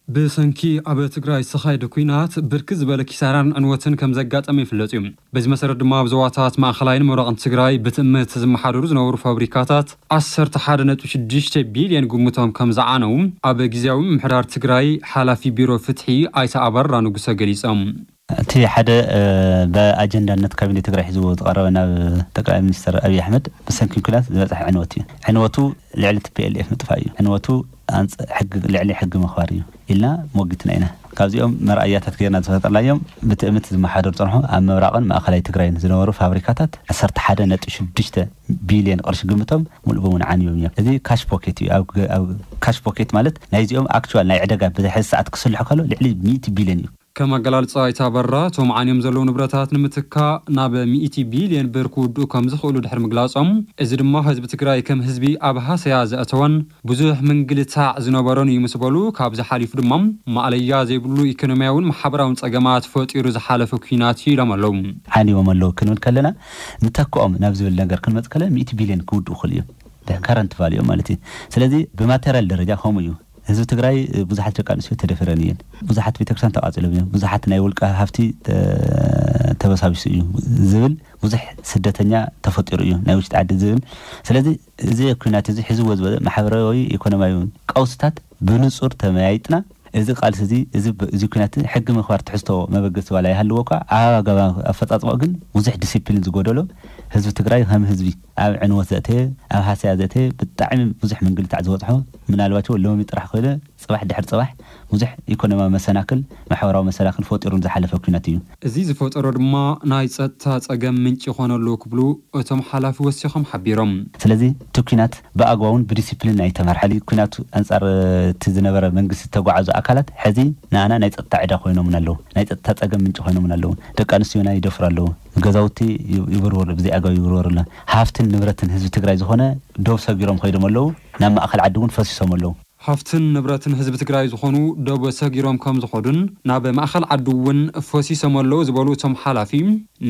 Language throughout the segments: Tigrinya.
ብሰንኪ ኣብ ትግራይ ዝተኻየደ ኲናት ብርክት ዝበለ ኪሳራን ዕንወትን ከም ዘጋጠመ ይፍለጥ እዩ። በዚ መሰረት ድማ ኣብ ዞባታት ማእኸላይን ምብራቕን ትግራይ ብትእምት ዝመሓደሩ ዝነበሩ ፋብሪካታት ዓሰርተ ሓደ ነጥቢ ሽዱሽተ ቢልዮን ግምቶም ከም ዝዓነው ኣብ ግዝያዊ ምምሕዳር ትግራይ ሓላፊ ቢሮ ፍትሒ ኣይተ ኣበራ ንጉሰ ገሊጾም። እቲ ሓደ ብኣጀንዳነት ካቢኔ ትግራይ ሒዝዎ ዝቐረበ ናብ ጠቅላይ ሚኒስትር ኣብይ ኣሕመድ ብሰንኪ ኲናት ዝበፅሐ ዕንወት እዩ። ዕንወቱ ልዕሊ ቲ ፒ ኤል ኤፍ ምጥፋእ እዩ። ዕንወቱ ኣንፅ ሕጊ ልዕሊ ሕጊ ምኽባር እዩ ኢልና ሞጊትና ኢና። ካብዚኦም መርኣያታት ገይርና ዝፈጠርናዮም ብትእምት ዝመሓደሩ ፀንሑ ኣብ ምብራቕን ማእኸላይ ትግራይን ዝነበሩ ፋብሪካታት ዓሰርተ ሓደ ነጥቢ ሽዱሽተ ቢልዮን ቅርሺ ግምቶም ሙሉእ ብሙሉእ ዓንዮም እዮም። እዚ ካሽ ፖኬት እዩ። ኣብ ካሽ ፖኬት ማለት ናይዚኦም ኣክቹዋል ናይ ዕደጋ ብዚ ሕዚ ሰዓት ክስልሑ ከሎ ልዕሊ ሚእቲ ቢልዮን እዩ። ከም ኣገላልፃ ኣይተ ኣበራ እቶም ዓንዮም ዘለዉ ንብረታት ንምትካእ ናብ ሚእቲ ቢልዮን ብር ክውድኡ ከም ዝኽእሉ ድሕሪ ምግላፆም፣ እዚ ድማ ህዝቢ ትግራይ ከም ህዝቢ ኣብ ሃሰያ ዘእተወን ብዙሕ ምንግልታዕ ዝነበሮን እዩ ምስ በሉ፣ ካብዚ ሓሊፉ ድማ ማእለያ ዘይብሉ ኢኮኖሚያውን ማሕበራውን ፀገማት ፈጢሩ ዝሓለፈ ኲናት እዩ ኢሎም ኣለዉ። ዓንዮም ኣለዉ ክንብል ከለና ንተክኦም ናብ ዝብል ነገር ክንመፅ ከለና ሚእቲ ቢልዮን ክውድኡ ይኽእሉ እዮም። ከረንት ቫልዩ ማለት እዩ። ስለዚ ብማቴሪያል ደረጃ ከምኡ እዩ። ህዝቢ ትግራይ ብዙሓት ደቂ ኣንስትዮ ተደፈረን እየን። ብዙሓት ቤተክርስትያን ተቃፂሎም እዮም። ብዙሓት ናይ ውልቀ ሃፍቲ ተበሳቢሱ እዩ ዝብል ብዙሕ ስደተኛ ተፈጢሩ እዩ ናይ ውሽጢ ዓዲ ዝብል። ስለዚ እዚ ኩናት እዚ ሒዝዎ ዝበለ ማሕበራዊ ኢኮኖሚያዊ ቀውስታት ብንፁር ተመያይጥና እዚ ቃልሲ እዚ እዚ ኩናት ሕጊ ምኽባር ትሕዝቶ መበገሲ ዋላ ይሃልዎ እኳ ኣብ ኣገባብ ኣፈፃፅማኡ ግን ብዙሕ ዲሲፕሊን ዝጎደሎ ህዝቢ ትግራይ ከም ህዝቢ ኣብ ዕንወት ዘእተየ ኣብ ሃሰያ ዘእተየ ብጣዕሚ ብዙሕ ምንግልታዕ ዝበፅሖ ምናልባት ሎሚ ጥራሕ ኮይነ ፅባሕ ድሕሪ ፅባሕ ብዙሕ ኢኮኖሚያዊ መሰናክል ማሕበራዊ መሰናክል ፈጢሩ ዝሓለፈ ኩናት እዩ። እዚ ዝፈጠሮ ድማ ናይ ፀጥታ ፀገም ምንጪ ይኾነሉ ክብሉ እቶም ሓላፊ ወሲኾም ሓቢሮም። ስለዚ እቲ ኩናት ብኣግባቡን ብዲሲፕሊን ኣይተመርሓሊ ኩናቱ ኣንፃር እቲ ዝነበረ መንግስቲ ዝተጓዓዙ ኣካላት ሕዚ ንኣና ናይ ፀጥታ ዕዳ ኮይኖምን ኣለዉ። ናይ ፀጥታ ፀገም ምንጪ ኮይኖምን ኣለዉ። ደቂ ኣንስትዮና ይደፍሩ ኣለዉ። ገዛውቲ ይብርወሩ ብዘይ ኣግባብ ይብርወሩ ኣሎ። ሃፍትን ንብረትን ህዝቢ ትግራይ ዝኾነ ዶብ ሰጊሮም ኮይዶም ኣለዉ። ናብ ማእኸል ዓዲ እውን ፈሲሶም ኣለዉ። ሃፍትን ንብረትን ህዝቢ ትግራይ ዝኾኑ ዶብ ሰጊሮም ከም ዝኾዱን ናብ ማእኸል ዓዲ እውን ፈሲሶም ኣለዉ ዝበሉ እቶም ሓላፊ፣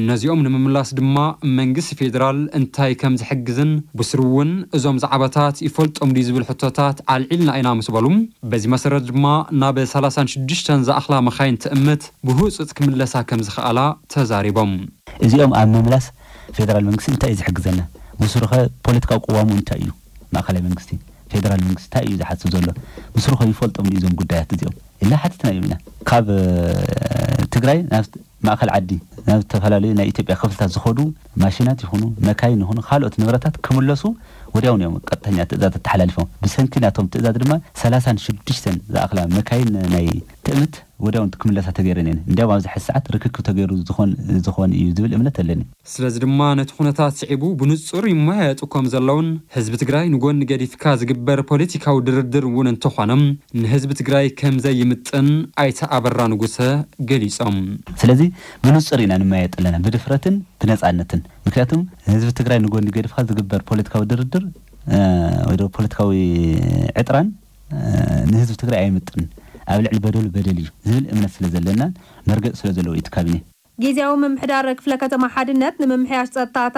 ነዚኦም ንምምላስ ድማ መንግስቲ ፌዴራል እንታይ ከም ዝሕግዝን ብስሩ እውን እዞም ዛዕባታት ይፈልጦም ድዩ ዝብል ሕቶታት ኣልዒልና ኢና ምስ በሉ፣ በዚ መሰረት ድማ ናብ ሰላሳን ሽዱሽተን ዝኣኽላ መኻይን ትእምት ብህፁፅ ክምለሳ ከም ዝኸኣላ ተዛሪቦም። እዚኦም ኣብ ምምላስ ፌደራል መንግስቲ እንታይ እዩ ዝሕግዘና? ብስሩኸ ፖለቲካዊ ቅዋሙ እንታይ እዩ? ማእኸላይ መንግስቲ ፌደራል መንግስቲ እንታይ እዩ ዝሓስብ ዘሎ? ብስሩኸ ይፈልጦም ድዩ እዞም ጉዳያት እዚኦም? ኢልና ሓቲትና እዮም ኢና። ካብ ትግራይ ናብ ማእኸል ዓዲ ናብ ዝተፈላለዩ ናይ ኢትዮጵያ ክፍልታት ዝኸዱ ማሽናት ይኹኑ መካይን ይኹኑ ካልኦት ንብረታት ክምለሱ ወዲያውን እዮም ቀጥተኛ ትእዛዝ ተሓላሊፎም። ብሰንኪ ናቶም ትእዛዝ ድማ ሰላሳን ሽዱሽተን ዝኣኽላ መካይን ናይ ትእምት ወዲያውን ክምለሳ ተገይረን እየን። እንዲያውም ኣብዚ ሕዚ ሰዓት ርክክብ ተገይሩ ዝኾን እዩ ዝብል እምነት ኣለኒ። ስለዚ ድማ ነቲ ኩነታት ስዒቡ ብንጹር ይመያየጡ ከም ዘለውን ህዝቢ ትግራይ ንጎኒ ገዲፍካ ዝግበር ፖለቲካዊ ድርድር እውን እንተኾነ ንህዝቢ ትግራይ ከም ዘይምጥን ኣይተ ኣበራ ንጉሰ ገሊጾም። ስለዚ ብንጹር ኢና ንመያየጥ ኣለና ብድፍረትን ብነጻነትን። ምክንያቱም ህዝቢ ትግራይ ንጎኒ ገዲፍካ ዝግበር ፖለቲካዊ ድርድር ወይ ፖለቲካዊ ዕጥራን ንህዝቢ ትግራይ ኣይምጥን፣ ኣብ ልዕሊ በደሉ በደል እዩ ዝብል እምነት ስለ ዘለና መርገጽ ስለ ዘለዎ እዩ እቲ ካቢኔ። ግዝያዊ ምምሕዳር ክፍለ ከተማ ሓድነት ንምምሕያሽ ፀጥታታት